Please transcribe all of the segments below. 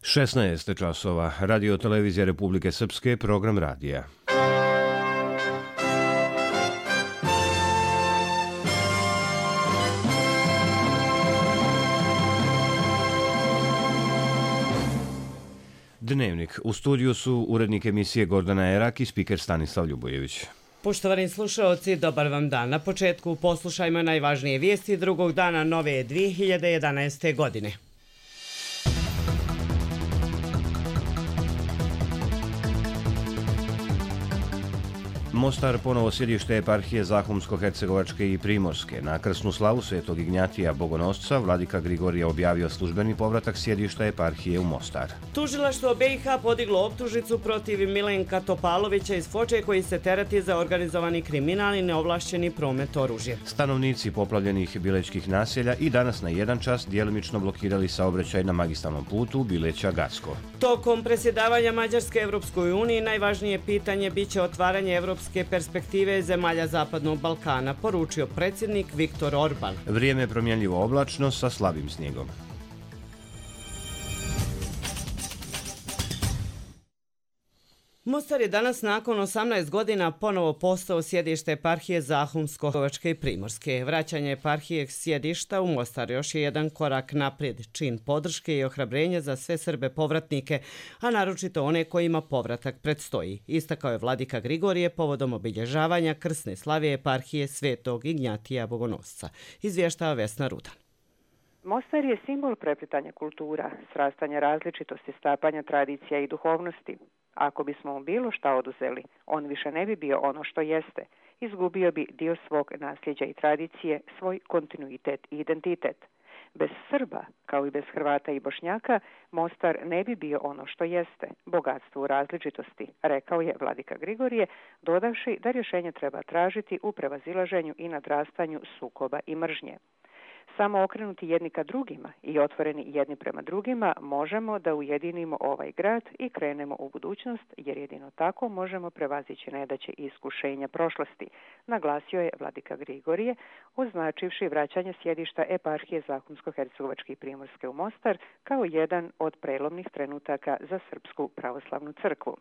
16 časova, Radio televizija Republike Srpske, program radija. Dnevnik. U studiju su urednik emisije Gordana Erak i spiker Stanislav Ljubojević. Poštovani slušaoci, dobar vam dan. Na početku poslušajmo najvažnije vijesti drugog dana nove 2011. godine. Mostar ponovo sjedište eparhije Zahumsko-hercegovačke i Primorske. Na krsnu slavu Svetog Ignjatija Bogonosca vladika Grigorije objavio službeni povratak sjedišta eparhije u Mostar. Tužilaštvo BiH podiglo optužnicu protiv Milenka Topalovića iz Foče koji se tereti za organizovani kriminal i neovlašćeni promet oružja. Stanovnici poplavljenih Bilećkih naselja i danas na 1 čas djelimično blokirali saobraćaj na magistralnom putu Bileća-Gacko. Tokom predsjedavanja Mađarske Evropskoj uniji najvažnije pitanje biće otvaranje evropske perspektive zemalja Zapadnog Balkana, poručio predsjednik Viktor Orban. Vrijeme je promjenljivo oblačno sa slabim snijegom. Mostar je danas nakon 18 godina ponovo postao sjedište eparhije Zahumsko-hercegovačke i Primorske. Vraćanje eparhije sjedišta u Mostar još je jedan korak naprijed, čin podrške i ohrabrenja za sve Srbe povratnike, a naročito one kojima povratak predstoji. Istakao je vladika Grigorije povodom obilježavanja krsne slave eparhije Svetog Ignjatija Bogonosca. Izvještava Vesna Rudan. Mostar je simbol preplitanja kultura, srastanja različitosti, stapanja tradicija i duhovnosti. Ako bismo mu bilo šta oduzeli, on više ne bi bio ono što jeste. Izgubio bi dio svog nasljeđa i tradicije, svoj kontinuitet i identitet. Bez Srba, kao i bez Hrvata i Bošnjaka, Mostar ne bi bio ono što jeste, bogatstvo u različitosti, rekao je vladika Grigorije, dodavši da rješenje treba tražiti u prevazilaženju i nadrastanju sukoba i mržnje. Samo okrenuti jedni ka drugima i otvoreni jedni prema drugima možemo da ujedinimo ovaj grad i krenemo u budućnost, jer jedino tako možemo prevazići nedaće i iskušenja prošlosti, naglasio je vladika Grigorije, označivši vraćanje sjedišta eparhije Zahumsko-hercegovačke i Primorske u Mostar kao jedan od prelomnih trenutaka za Srpsku pravoslavnu crkvu.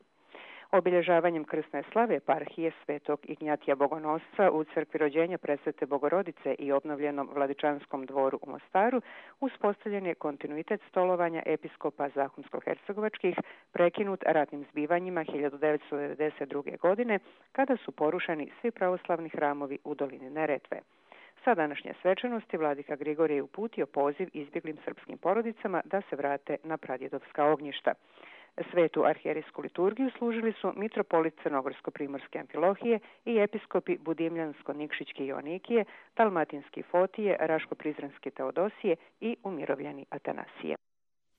Obilježavanjem krsne slave eparhije Svetog Ignjatija Bogonosca u crkvi rođenja Presvete Bogorodice i obnovljenom Vladičanskom dvoru u Mostaru uspostavljen je kontinuitet stolovanja episkopa Zahumsko-hercegovačkih prekinut ratnim zbivanjima 1992. godine kada su porušeni svi pravoslavni hramovi u dolini Neretve. Sa današnje svečanosti vladika Grigorije je uputio poziv izbjeglim srpskim porodicama da se vrate na pradjedovska ognjišta. Svetu arhijerijsku liturgiju služili su mitropolit Crnogorsko-primorske Amfilohije i episkopi Budimljansko-Nikšićke Joanikije, Dalmatinski Fotije, Raško-Prizrenski Teodosije i umirovljeni Atanasije.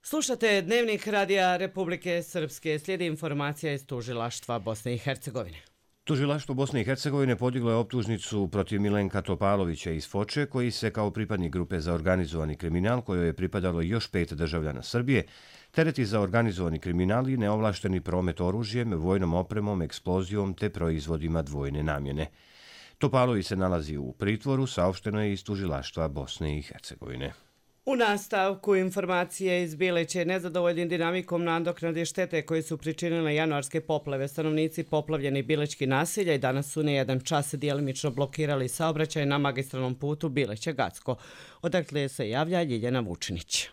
Slušate Dnevnik Radija Republike Srpske. Slijedi informacija iz Tužilaštva Bosne i Hercegovine. Tužilaštvo Bosne i Hercegovine podiglo je optužnicu protiv Milenka Topalovića iz Foče, koji se kao pripadnik grupe za organizovani kriminal, kojoj je pripadalo još 5 državljana Srbije, tereti za organizovani kriminal i neovlašteni promet oružjem, vojnom opremom, eksplozijom te proizvodima dvojne namjene. Topalović se nalazi u pritvoru, saopšteno je iz Tužilaštva Bosne i Hercegovine. U nastavku informacije iz Bileće nezadovoljnim dinamikom nadoknade štete koje su pričinile januarske poplave, stanovnici poplavljeni Bilećki naselja i danas su na 1 čas djelimično blokirali saobraćaj na magistralnom putu Bileća-Gacko. Odakle se javlja Ljiljana Vučinić.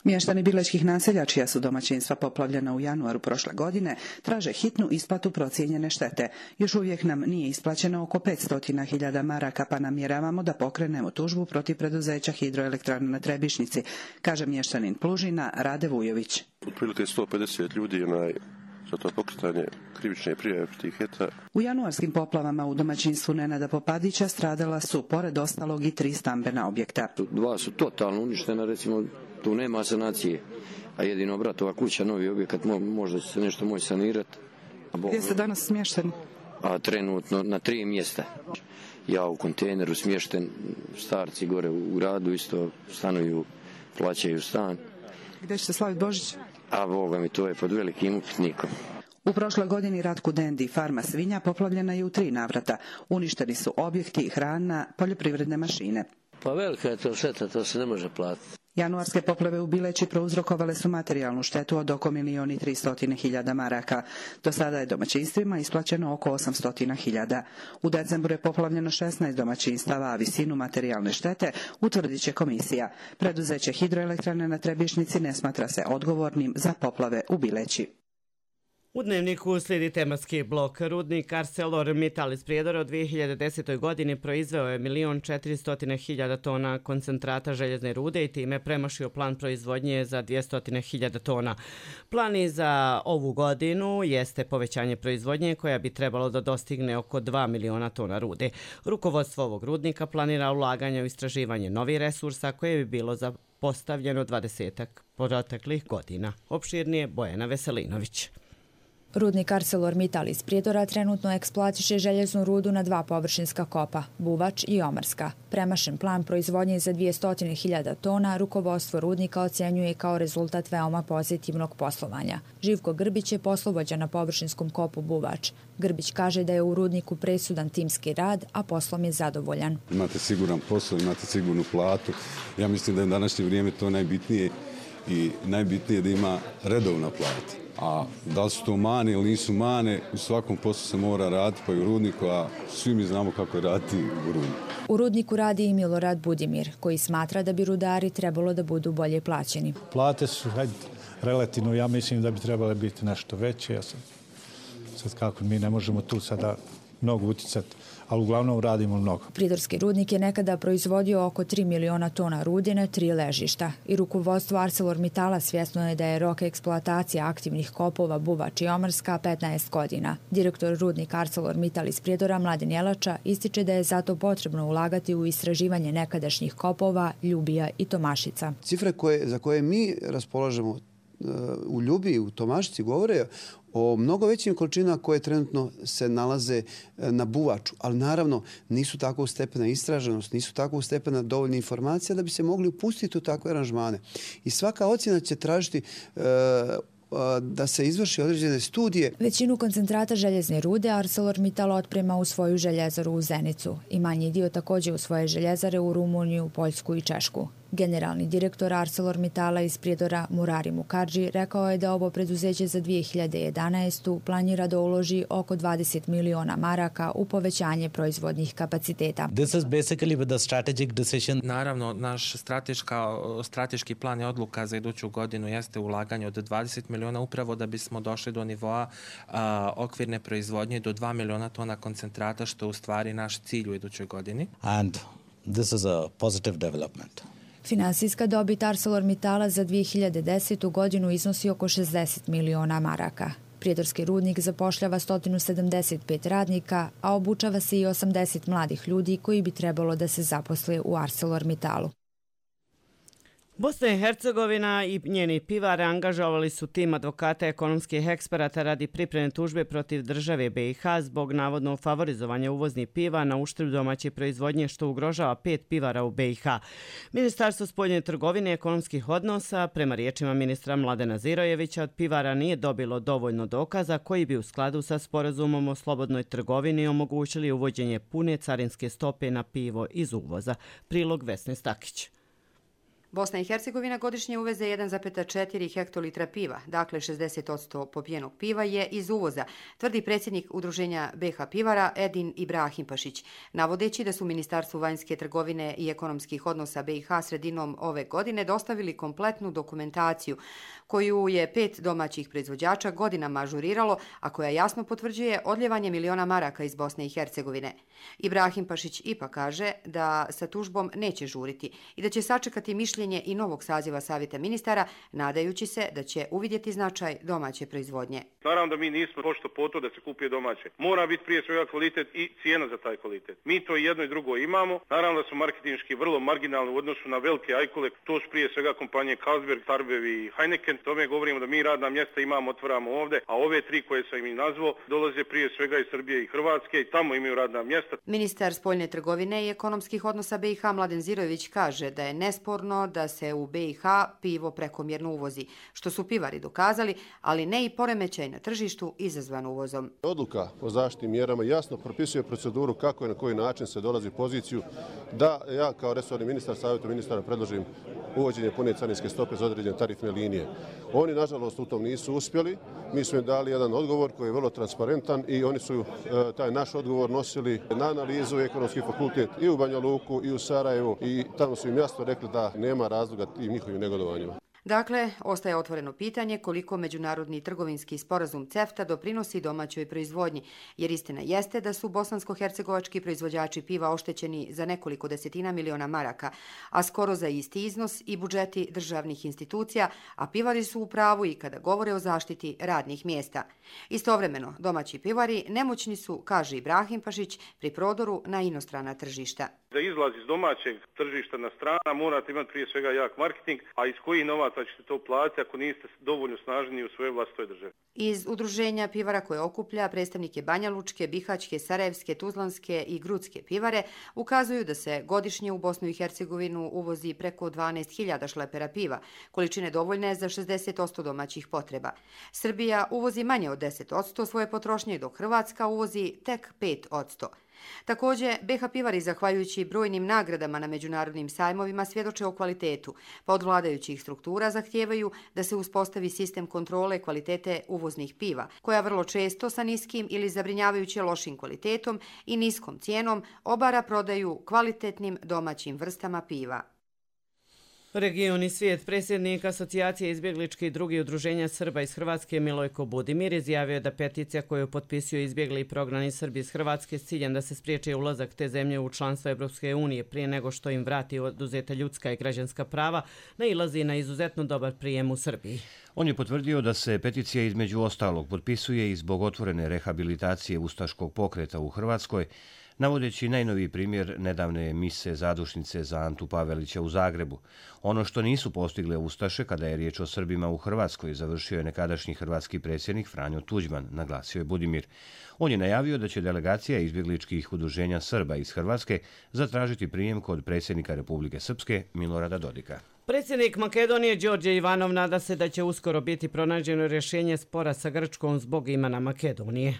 Mještani bilećkih naselja, čija su domaćinstva poplavljena u januaru prošle godine, traže hitnu isplatu procijenjene štete. Još uvijek nam nije isplaćeno oko 500.000 maraka, pa namjeravamo da pokrenemo tužbu protiv preduzeća Hidroelektrane na Trebišnici, kaže mještanin Plužina Rade Vujović. Otprilike 150 ljudi za to pokretanje krivične prijave protiv HET-a. U januarskim poplavama u domaćinstvu Nenada Popadića stradala su, pored ostalog, i 3 stambena objekta. 2 su totalno uništena, recimo, tu nema sanacije, a jedino bratova kuća, novi objekat, možda će se nešto moći sanirati. Gdje ste danas smješteni? A trenutno na 3 mjesta. Ja u kontejneru smješten, starci gore u gradu isto stanuju, plaćaju stan. Gdje ćete slaviti Božić? A Boga mi, to je pod velikim upitnikom. U prošloj godini Ratku Dendi farma svinja poplavljena je u 3 navrata. Uništeni su objekti, hrana, poljoprivredne mašine. Pa velika je to šteta, to se ne može platiti. Januarske poplave u Bileći prouzrokovale su materijalnu štetu od oko 1.300.000 maraka. Do sada je domaćinstvima isplaćeno oko 800.000. U decembru je poplavljeno 16 domaćinstava, a visinu materijalne štete utvrdit će komisija. Preduzeće Hidroelektrane na Trebišnjici ne smatra se odgovornim za poplave u Bileći. U Dnevniku slijedi tematski blok. Rudnik ArcelorMittal iz Prijedora u 2010. godini proizveo je 1.400.000 tona koncentrata željezne rude i time premašio plan proizvodnje za 200.000 tona. Plan i za ovu godinu jeste povećanje proizvodnje koja bi trebalo da dostigne oko 2 miliona tona rude. Rukovodstvo ovog rudnika planira ulaganje u istraživanje novih resursa koje bi bilo postavljeno 20-ak proteklih godina. Opširnije Bojana Veselinović. Rudnik ArcelorMittal iz Prijedora trenutno eksploatiše željeznu rudu na 2 površinska kopa, Buvač i Omarska. Premašen plan proizvodnje za 200.000 tona rukovodstvo rudnika ocjenjuje kao rezultat veoma pozitivnog poslovanja. Živko Grbić je poslovođa na površinskom kopu Buvač. Grbić kaže da je u rudniku presudan timski rad, a poslom je zadovoljan. Imate siguran posao, imate sigurnu platu. Ja mislim da je u današnje vrijeme to najbitnije i najbitnije da ima redovna plata. A da li su to mane ili nisu mane, u svakom poslu se mora raditi, pa i u rudniku, a svi mi znamo kako je raditi u rudniku. U rudniku radi i Milorad Budimir, koji smatra da bi rudari trebalo da budu bolje plaćeni. Plate su relativno, ja mislim da bi trebale biti nešto veće. Sad kako mi ne možemo tu sada mnogo uticati, ali uglavnom radimo mnogo. Prijedorski rudnik je nekada proizvodio oko 3 miliona tona rude na 3 ležišta i rukovodstvo ArcelorMittala svjesno je da je rok eksploatacije aktivnih kopova Buvač i Omarska 15 godina. Direktor rudnika ArcelorMittal iz Prijedora Mladen Jelača ističe da je zato potrebno ulagati u istraživanje nekadašnjih kopova Ljubija i Tomašica. Cifre za koje mi raspolažemo u Ljubiji i u Tomašici govore o mnogo većim količinama koje trenutno se nalaze na Buvaču, ali naravno nisu tako stepena istraženost, nisu tako stepena dovoljne informacije da bi se mogli upustiti u takve aranžmane. I svaka ocjena će tražiti da se izvrši određene studije. Većinu koncentrata željezne rude ArcelorMittal otprema u svoju željezaru u Zenicu i manji dio također u svoje željezare u Rumuniju, Poljsku i Češku. Generalni direktor ArcelorMittala iz Prijedora Murari Mukadži rekao je da ovo preduzeće za 2011. planira da uloži oko 20 miliona maraka u povećanje proizvodnih kapaciteta. Naravno, naš strateški plan i odluka za iduću godinu jeste ulaganje od 20 miliona upravo da bismo došli do nivoa okvirne proizvodnje do 2 miliona tona koncentrata, što je u stvari naš cilj u idućoj godini. And this is a positive development. Finansijska dobit ArcelorMittala za 2010. godinu iznosi oko 60 miliona maraka. Prijedorski rudnik zapošljava 175 radnika, a obučava se i 80 mladih ljudi koji bi trebalo da se zaposle u ArcelorMittalu. Bosna i Hercegovina i njeni pivari angažovali su tim advokata ekonomskih eksperata radi pripreme tužbe protiv države BiH zbog navodnog favorizovanja uvoznih piva na uštrb domaće proizvodnje što ugrožava 5 pivara u BiH. Ministarstvo spoljne trgovine i ekonomskih odnosa, prema riječima ministra Mladena Zirojevića, od pivara nije dobilo dovoljno dokaza koji bi u skladu sa sporazumom o slobodnoj trgovini omogućili uvođenje pune carinske stope na pivo iz uvoza. Prilog Vesne Stakić. Bosna i Hercegovina godišnje uveze 1,4 hektolitra piva, dakle 60% popijenog piva je iz uvoza, tvrdi predsjednik Udruženja BiH pivara Edin Ibrahimpašić, navodeći da su Ministarstvu vanjske trgovine i ekonomskih odnosa BiH sredinom ove godine dostavili kompletnu dokumentaciju koju je 5 domaćih proizvođača godinama ažuriralo, a koja jasno potvrđuje odljevanje miliona maraka iz Bosne i Hercegovine. Ibrahimpašić ipak kaže da sa tužbom neće žuriti i da će sačekati mišljenje i novog saziva Savjeta ministara, nadajući se da će uvidjeti značaj domaće proizvodnje. Naravno da mi nismo pošto po to da se kupuje domaće. Mora biti prije svega kvalitet i cijena za taj kvalitet. Mi to jedno i drugo imamo. Naravno da smo marketinški vrlo marginalni u odnosu na velike ajkule. To su prije svega kompanije Carlsberg, Tarbev i Heineken. Tome govorimo da mi radna mjesta imamo, otvaramo ovdje, a ove 3 koje sam im nazvao dolaze prije svega iz Srbije i Hrvatske i tamo imaju radna mjesta. Ministar spoljne trgovine i ekonomskih odnosa BiH Mladen Zirojević kaže da je nesporno da se u BiH pivo prekomjerno uvozi, što su pivari dokazali, ali ne i poremećaj na tržištu izazvan uvozom. Odluka o zaštitnim mjerama jasno propisuje proceduru kako i na koji način se dolazi u poziciju da ja kao resorni ministar savjetu ministara predložim uvođenje pune carinske stope za određene tarifne linije. Oni, nažalost, u tom nisu uspjeli. Mi smo im dali jedan odgovor koji je vrlo transparentan i oni su taj naš odgovor nosili na analizu Ekonomski fakultet i u Banja Luku i u Sarajevu i tamo su im jasno rekli da nema razloga tim njihovim negodovanjima. Dakle, ostaje otvoreno pitanje koliko međunarodni trgovinski sporazum CEFTA doprinosi domaćoj proizvodnji, jer istina jeste da su bosansko-hercegovački proizvođači piva oštećeni za nekoliko desetina miliona maraka, a skoro za isti iznos i budžeti državnih institucija, a pivari su u pravu i kada govore o zaštiti radnih mjesta. Istovremeno, domaći pivari nemoćni su, kaže Ibrahim Pašić, pri prodoru na inostrana tržišta. Da izlaz iz domaćeg tržišta na strana morate imati prije svega jak marketing, a iz kojih novaca ćete to platiti ako niste dovoljno snažni u svojoj vlastitoj državi. Iz udruženja pivara koje okuplja predstavnike Banja Lučke, Bihaćke, Sarajevske, Tuzlanske i Grudske pivare ukazuju da se godišnje u Bosnu i Hercegovinu uvozi preko 12.000 šlepera piva, količine dovoljne za 60% domaćih potreba. Srbija uvozi manje od 10% svoje potrošnje, dok Hrvatska uvozi tek 5%. Također, BiH pivari, zahvaljujući brojnim nagradama na međunarodnim sajmovima, svjedoče o kvalitetu, pa od vladajućih struktura zahtijevaju da se uspostavi sistem kontrole kvalitete uvoznih piva, koja vrlo često sa niskim ili zabrinjavajuće lošim kvalitetom i niskom cijenom obara prodaju kvalitetnim domaćim vrstama piva. Regioni svijet, predsjednik Asocijacije izbjegličkih i drugih udruženja Srba iz Hrvatske Milojko Budimir izjavio da peticija koju potpisuju izbjegli i prognani Srbi iz Hrvatske s ciljem da se spriječi ulazak te zemlje u članstvo Evropske unije prije nego što im vrati oduzeta ljudska i građanska prava, nailazi na izuzetno dobar prijem u Srbiji. On je potvrdio da se peticija između ostalog potpisuje i zbog otvorene rehabilitacije ustaškog pokreta u Hrvatskoj, navodeći najnoviji primjer nedavne mise zadušnice za Antu Pavelića u Zagrebu. Ono što nisu postigle ustaše kada je riječ o Srbima u Hrvatskoj, završio je nekadašnji hrvatski predsjednik Franjo Tuđman, naglasio je Budimir. On je najavio da će delegacija izbjegličkih udruženja Srba iz Hrvatske zatražiti prijem kod predsjednika Republike Srpske Milorada Dodika. Predsjednik Makedonije Đorđe Ivanov nada se da će uskoro biti pronađeno rješenje spora sa Grčkom zbog imena Makedonije.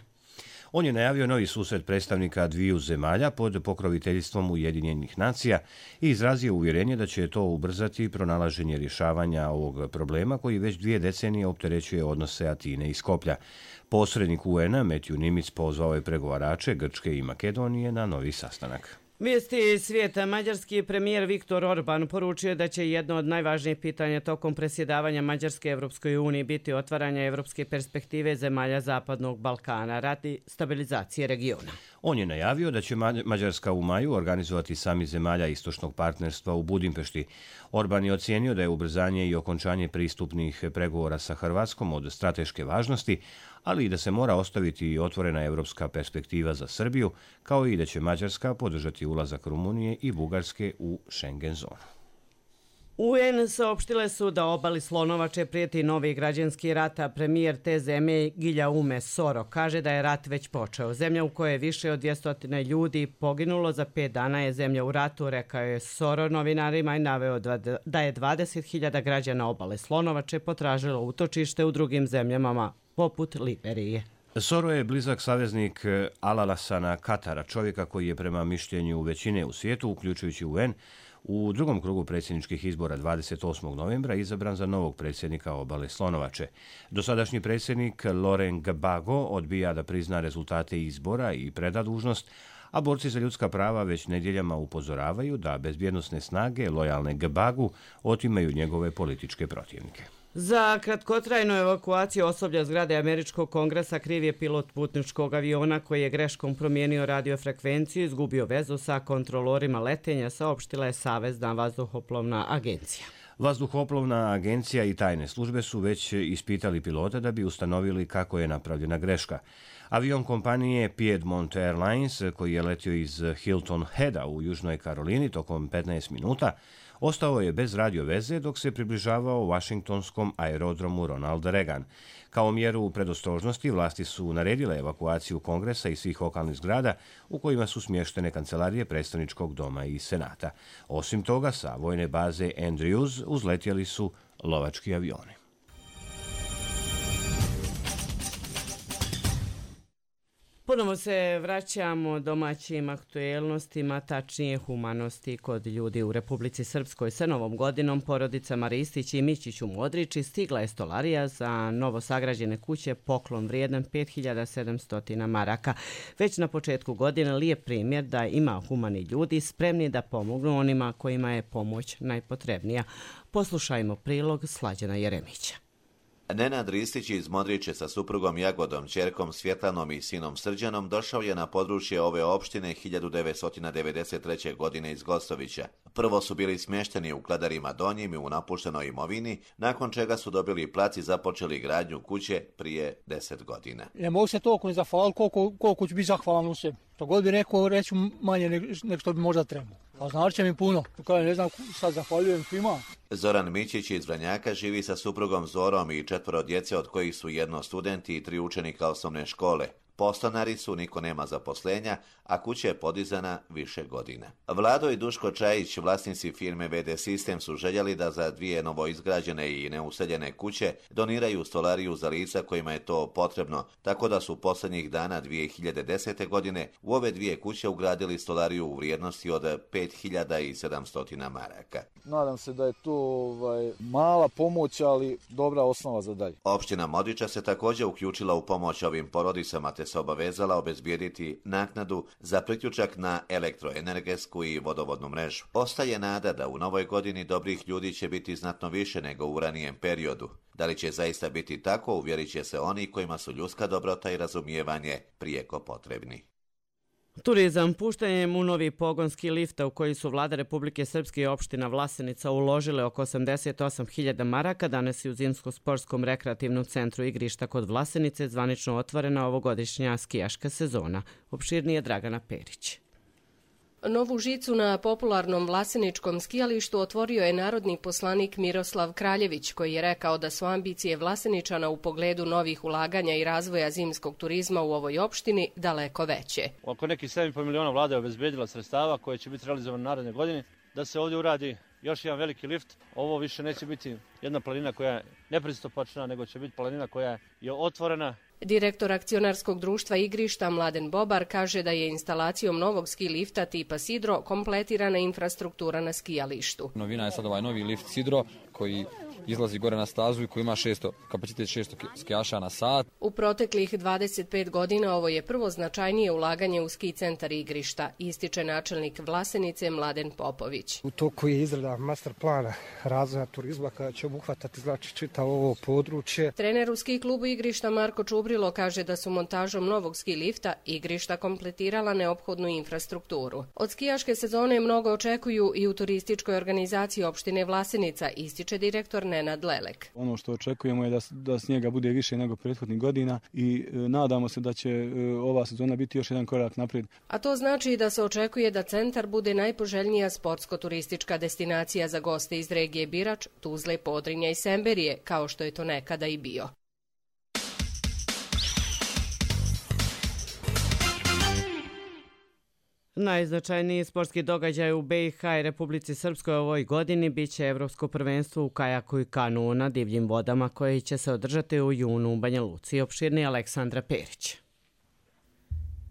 On je najavio novi susret predstavnika dviju zemalja pod pokroviteljstvom Ujedinjenih nacija i izrazio uvjerenje da će to ubrzati pronalaženje rješavanja ovog problema koji već 2 decenije opterećuje odnose Atine i Skoplja. Posrednik UN-a Matthew Nimitz pozvao je pregovarače Grčke i Makedonije na novi sastanak. Vijesti svijeta. Mađarski premijer Viktor Orban poručio da će jedno od najvažnijih pitanja tokom presjedavanja Mađarske Evropskoj uniji biti otvaranje evropske perspektive zemalja Zapadnog Balkana radi stabilizacije regiona. On je najavio da će Mađarska u maju organizovati samit zemalja istočnog partnerstva u Budimpešti. Orban je ocijenio da je ubrzanje i okončanje pristupnih pregovora sa Hrvatskom od strateške važnosti, ali i da se mora ostaviti otvorena evropska perspektiva za Srbiju, kao i da će Mađarska podržati ulazak Rumunije i Bugarske u Schengen zonu. UN saopštile su da obali Slonovače prijeti novi građanski rat, a premijer te zemlje Guillaume Soro kaže da je rat već počeo. Zemlja u kojoj je više od 200 ljudi poginulo za 5 dana je zemlja u ratu, rekao je Soro novinarima i naveo da je 20.000 građana obale Slonovače potražilo utočište u drugim zemljama poput Liberije. Soro je blizak saveznik Al-Alassana Katara, čovjeka koji je prema mišljenju većine u svijetu, uključujući UN, u drugom krugu predsjedničkih izbora 28. novembra izabran za novog predsjednika obale Slonovače. Dosadašnji predsjednik Laurent Gbagbo odbija da prizna rezultate izbora i preda dužnost, a borci za ljudska prava već nedjeljama upozoravaju da bezbjednosne snage lojalne Gbagbu otimaju njegove političke protivnike. Za kratkotrajnu evakuaciju osoblja zgrade Američkog kongresa kriv je pilot putničkog aviona koji je greškom promijenio radiofrekvenciju i izgubio vezu sa kontrolorima letenja, saopštila je Savezna vazduhoplovna agencija. Vazduhoplovna agencija i tajne službe su već ispitali pilota da bi ustanovili kako je napravljena greška. Avion kompanije Piedmont Airlines, koji je letio iz Hilton Heada u Južnoj Karolini tokom 15 minuta, ostao je bez radio veze dok se približavao Vašingtonskom aerodromu Ronald Reagan. Kao mjeru predostrožnosti vlasti su naredile evakuaciju Kongresa i svih okolnih zgrada u kojima su smještene kancelarije predstavničkog doma i senata. Osim toga, sa vojne baze Andrews uzletjeli su lovački avioni. Ponovo se vraćamo domaćim aktuelnostima, tačnije humanosti kod ljudi u Republici Srpskoj. Sa Novom godinom porodicama Ristić i Mićić u Modriči stigla je stolarija za novosagrađene kuće, poklon vrijedan 5700 maraka. Već na početku godine lijep primjer da ima humani ljudi spremni da pomognu onima kojima je pomoć najpotrebnija. Poslušajmo prilog Slađana Jeremića. Nenad Ristić iz Modriče sa suprugom Jagodom, ćerkom Svjetlanom i sinom Srđanom došao je na područje ove opštine 1993. godine iz Gostovića. Prvo su bili smješteni u Kladarima Donjim i u napuštenoj imovini, nakon čega su dobili plac i započeli gradnju kuće prije 10 godina. Ne mogu se toliko ne zahvaliti koliko ću biti zahvalan u sebi. To god bi rekao, reću manje nego što bi možda trebalo. A znači će mi puno. Kada ne znam, sad zahvaljujem svima. Zoran Mićić iz Vranjaka živi sa suprugom Zorom i 4 djece, od kojih su 1 studenti i 3 učenika osnovne škole. Podstanari su, niko nema zaposlenja, a kuća je podizana više godina. Vlado i Duško Čajić, vlasnici firme VD Sistem, su željeli da za 2 novoizgrađene i neuseljene kuće doniraju stolariju za lica kojima je to potrebno, tako da su posljednjih dana 2010. godine u ove 2 kuće ugradili stolariju u vrijednosti od 5700 maraka. Nadam se da je to mala pomoć, ali dobra osnova za dalje. Opština Modriča se također uključila u pomoć ovim porodicama, te se obavezala obezbijediti naknadu za priključak na elektroenergetsku i vodovodnu mrežu. Ostaje nada da u novoj godini dobrih ljudi će biti znatno više nego u ranijem periodu. Da li će zaista biti tako, uvjerit će se oni kojima su ljudska dobrota i razumijevanje prijeko potrebni. Turizam. Puštanjem u novi pogonski lifta u koji su vlada Republike Srpske i opština Vlasenica uložile oko 88.000 maraka, danas je u Zimsko-sportskom rekreativnom centru igrišta kod Vlasenice zvanično otvorena ovogodišnja skijaška sezona. Opširnije Dragana Perić. Novu žicu na popularnom Vlaseničkom skijalištu otvorio je narodni poslanik Miroslav Kraljević, koji je rekao da su ambicije Vlaseničana u pogledu novih ulaganja i razvoja zimskog turizma u ovoj opštini daleko veće. Oko nekih 7,5 miliona vlada je obezbedila sredstava koje će biti realizovane naredne godine, da se ovdje uradi još jedan veliki lift. Ovo više neće biti jedna planina koja je nepristupačna, nego će biti planina koja je otvorena. Direktor akcionarskog društva igrišta Mladen Bobar kaže da je instalacijom novog ski lifta tipa Sidro kompletirana infrastruktura na skijalištu. Novina je sad ovaj novi lift Sidro koji izlazi gore na stazu i koji ima kapacitet 600 skijaša na sat. U proteklih 25 godina ovo je prvo značajnije ulaganje u ski centar igrišta, ističe načelnik Vlasenice Mladen Popović. U toku je izrada master plana razvoja turizma kada će obuhvatati čitavo ovo područje. Trener u ski klubu igrišta Marko Čubrilo kaže da su montažom novog ski lifta igrišta kompletirala neophodnu infrastrukturu. Od skijaške sezone mnogo očekuju i u turističkoj organizaciji opštine Vlasenica, ističe direktor Nenad Lelek. Ono što očekujemo je da snijega bude više nego prethodnih godina i nadamo se da će ova sezona biti još jedan korak naprijed. A to znači da se očekuje da centar bude najpoželjnija sportsko-turistička destinacija za goste iz regije Birač, Tuzle, Podrinja i Semberije, kao što je to nekada i bio. Najznačajniji sportski događaj u BiH i Republici Srpskoj ovoj godini biće Evropsko prvenstvo u kajaku i kanu na divljim vodama koje će se održati u junu u Banja Luci. Opširni Aleksandra Perić.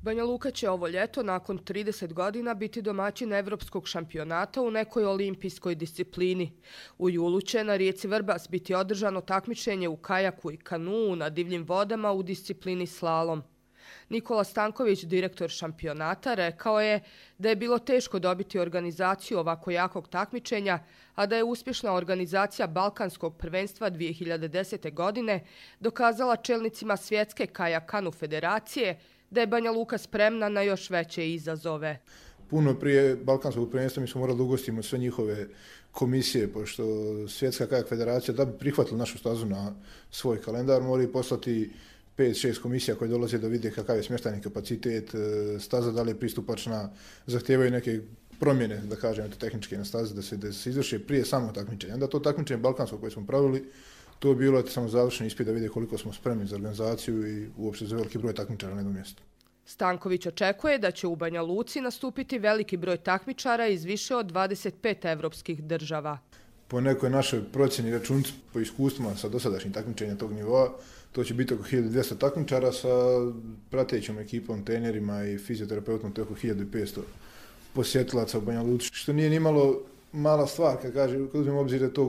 Banja Luka će ovo ljeto nakon 30 godina biti domaćin evropskog šampionata u nekoj olimpijskoj disciplini. U julu će na rijeci Vrbas biti održano takmičenje u kajaku i kanu na divljim vodama u disciplini slalom. Nikola Stanković, direktor šampionata, rekao je da je bilo teško dobiti organizaciju ovako jakog takmičenja, a da je uspješna organizacija Balkanskog prvenstva 2010. godine dokazala čelnicima Svjetske kajak-kanu federacije da je Banja Luka spremna na još veće izazove. Puno prije Balkanskog prvenstva mi smo morali ugostiti sve njihove komisije, pošto Svjetska kajak federacija da bi prihvatila našu stazu na svoj kalendar mora poslati 5-6 komisija koje dolaze da vide kakav je smještajni kapacitet, staza da li je pristupačna, zahtijevaju neke promjene, da kažem, tehničke na stazi, da se izvrše prije samog takmičenja. Onda to takmičenje balkansko koje smo pravili, to je bilo samo završeni ispit da vide koliko smo spremni za organizaciju i uopšte za veliki broj takmičara na jednom mjestu. Stanković očekuje da će u Banja Luci nastupiti veliki broj takmičara iz više od 25 evropskih država. Po nekoj našoj procjeni računici, po iskustvima sa dosadašnjim takmičenja tog nivoa, to će biti oko 1200 takmičara sa pratećom ekipom, trenerima i fizioterapeutom, to je oko 1500 posjetilaca u Banja Luci, što nije nimalo mala stvar, kad uzmemo obzir da to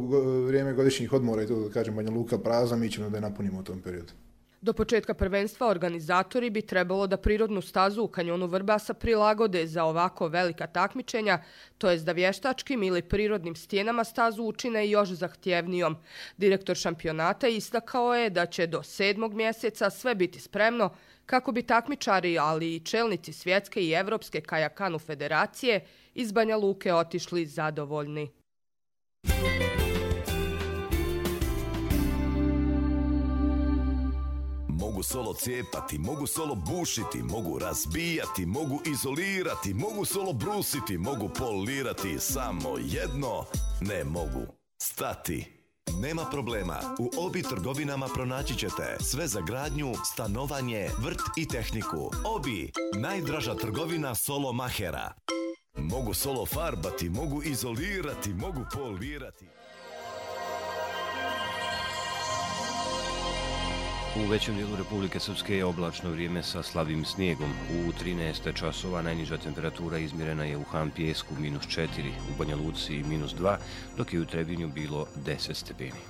vrijeme godišnjih odmora i to, da kažem, Banja Luka prazna, mi ćemo da je napunimo u tom periodu. Do početka prvenstva organizatori bi trebalo da prirodnu stazu u kanjonu Vrbasa prilagode za ovako velika takmičenja, to jest da vještačkim ili prirodnim stijenama stazu učine još zahtjevnijom. Direktor šampionata istakao je da će do 7. mjeseca sve biti spremno kako bi takmičari, ali i čelnici svjetske i evropske kajakanu federacije iz Banja Luke otišli zadovoljni. Mogu solo cijepati, mogu solo bušiti, mogu razbijati, mogu izolirati, mogu solo brusiti, mogu polirati, samo jedno ne mogu stati. Nema problema, u Obi trgovinama pronaći ćete sve za gradnju, stanovanje, vrt i tehniku. Obi, najdraža trgovina solo mahera. Mogu solo farbati, mogu izolirati, mogu polirati. U većem dijelu Republike Srpske je oblačno vrijeme sa slabim snijegom. U 13 časova najniža temperatura izmjerena je u Han Pijesku -4, u Banja Luci -2, dok je u Trebinju bilo 10 stepeni.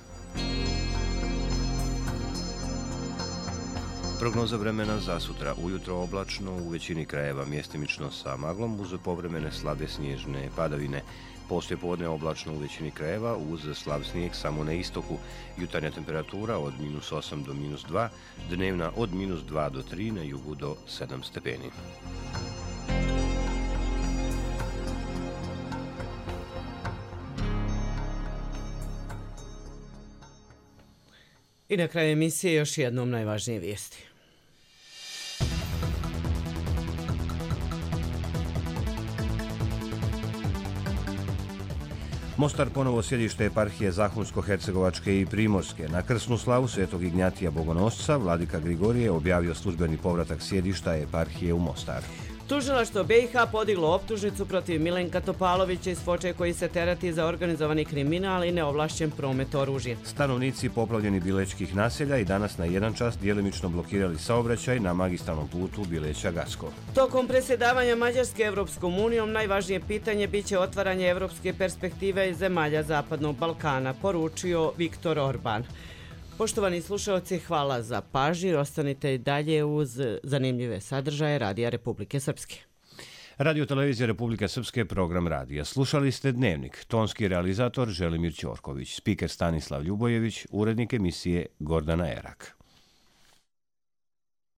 Prognoza vremena za sutra. Ujutro oblačno, u većini krajeva mjestimično sa maglom uz povremene slabe snježne padavine. Poslijepodne oblačno u većini krajeva uz slab snijeg samo na istoku. Jutarnja temperatura od -8 do -2, dnevna od -2 do 3, na jugu do 7 stepeni. I na kraju emisije još jednom najvažnije vijesti. Mostar ponovo sjedište eparhije Zahumsko-hercegovačke i Primorske. Na krsnu slavu Svetog Ignjatija Bogonosca vladika Grigorije objavio službeni povratak sjedišta eparhije u Mostar. Tužilaštvo BiH podiglo optužnicu protiv Milenka Topalovića iz Foče koji se terati za organizovani kriminal i neovlašćen promet oružja. Stanovnici poplavljeni Bilečkih naselja i danas na 1 čas djelimično blokirali saobraćaj na magistralnom putu Bileća-Gacko. Tokom predsjedavanja Mađarske Evropskom unijom najvažnije pitanje biće otvaranje evropske perspektive iz zemalja Zapadnog Balkana, poručio Viktor Orban. Poštovani slušalci, hvala za pažnju. Ostanite i dalje uz zanimljive sadržaje Radija Republike Srpske. Radio Televizija Republike Srpske, program radija. Slušali ste Dnevnik. Tonski realizator Želimir Ćorković, spiker Stanislav Ljubojević, urednik emisije Gordana Erak.